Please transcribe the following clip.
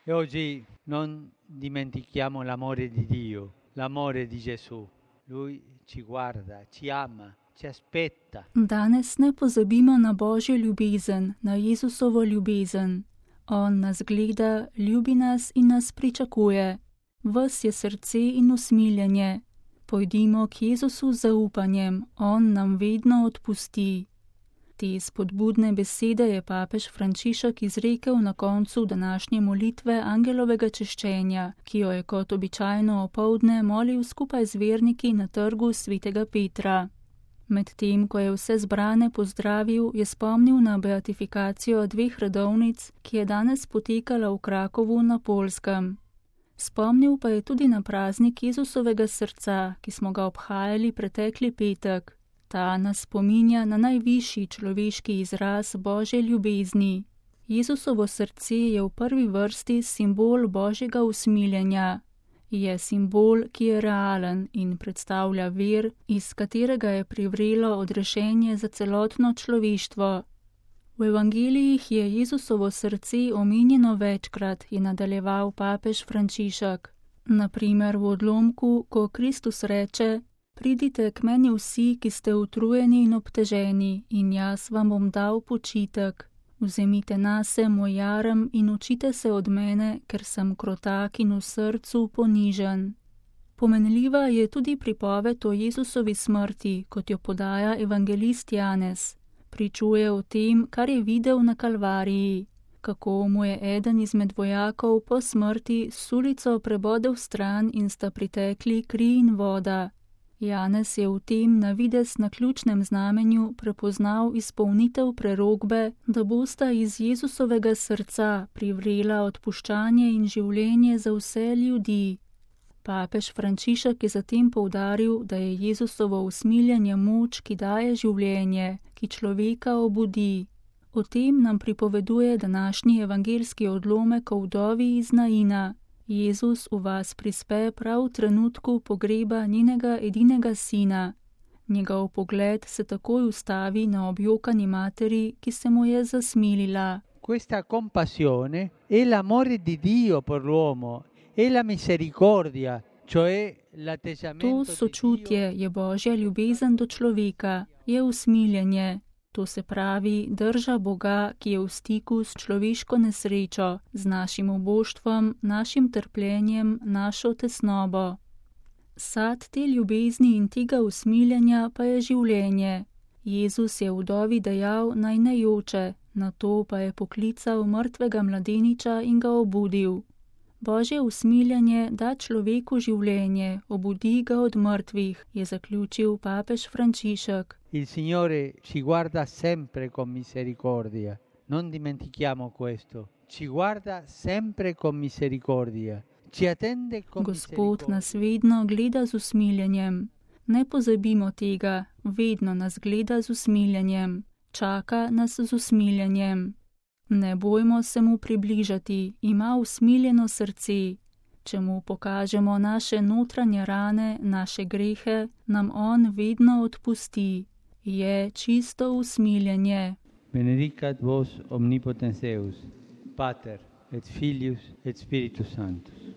E oggi non dimentichiamo l'amore di Dio, l'amore di Gesù. Lui ci guarda, ci ama, ci aspetta. Danes ne pozabimo na Božjo ljubezen, na Jezusovo ljubezen. On nas gleda, ljubi nas in nas pričakuje. Ves je srce in usmiljenje. Pojdimo k Jezusu z zaupanjem, on nam vedno odpusti. Te spodbudne besede je papež Frančišek izrekel na koncu današnje molitve angelovega češčenja, ki jo je kot običajno opoldne molil skupaj z verniki na trgu svetega Petra. Medtem, ko je vse zbrane pozdravil, je spomnil na beatifikacijo 2 redovnic, ki je danes potekala v Krakovu na Poljskem. Spomnil pa je tudi na praznik Jezusovega srca, ki smo ga obhajali pretekli petek. Ta nas spominja na najvišji človeški izraz Božje ljubezni. Jezusovo srce je v prvi vrsti simbol Božjega usmiljenja. Je simbol, ki je realen in predstavlja vir, iz katerega je privrelo odrešenje za celotno človeštvo. V evangelijih je Jezusovo srce omenjeno večkrat, je nadaljeval papež Frančišek. Na primer v odlomku, ko Kristus reče: Pridite k meni vsi, ki ste utrujeni in obteženi, in jaz vam bom dal počitek. Vzemite nase moj jarem in učite se od mene, ker sem krotak in v srcu ponižen. Pomenljiva je tudi pripoved o Jezusovi smrti, kot jo podaja evangelist Janez. Pričuje o tem, kar je videl na Kalvariji, kako mu je eden izmed vojakov po smrti sulico prebodel stran in sta pritekli kri in voda. Janez je v tem na videz naključnem znamenju prepoznal izpolnitev prerokbe, da bosta iz Jezusovega srca privrela odpuščanje in življenje za vse ljudi. Papež Frančišek je zatem poudaril, da je Jezusovo usmiljenje moč, ki daje življenje, ki človeka obudi. O tem nam pripoveduje današnji evangeljski odlomek o vdovi iz Naina. Jezus v vas prispe prav v trenutku pogreba njenega edinega sina. Njegov pogled se takoj ustavi na objokani materi, ki se mu je zasmilila. Questa compassione è l'amore di Dio per l'uomo, è la misericordia, cioè l'atteggiamento To sočutje je Božja ljubezen do človeka, je usmiljenje. To se pravi drža Boga, ki je v stiku s človeško nesrečo, z našim oboštvom, našim trpljenjem, našo tesnobo. Sad te ljubezni in tega usmiljenja pa je življenje. Jezus je vdovi dejal, naj ne joče, nato pa je poklical mrtvega mladeniča in ga obudil. Božje usmiljenje da človeku življenje, obudi ga od mrtvih, je zaključil papež Frančišek. Il Signore ci guarda sempre con misericordia, non dimentichiamo questo. Ci guarda sempre con misericordia, ci attende con Gospod nas vedno gleda z usmiljenjem. Ne pozabimo tega, vedno nas gleda z usmiljenjem, čaka nas z usmiljenjem. Ne bojmo se mu približati, ima usmiljeno srce. Če mu pokažemo naše notranje rane, naše grehe, nam on vedno odpusti. Je čisto usmiljenje. Benedicat vos omnipotens Deus, Pater et Filius et Spiritus Sanctus.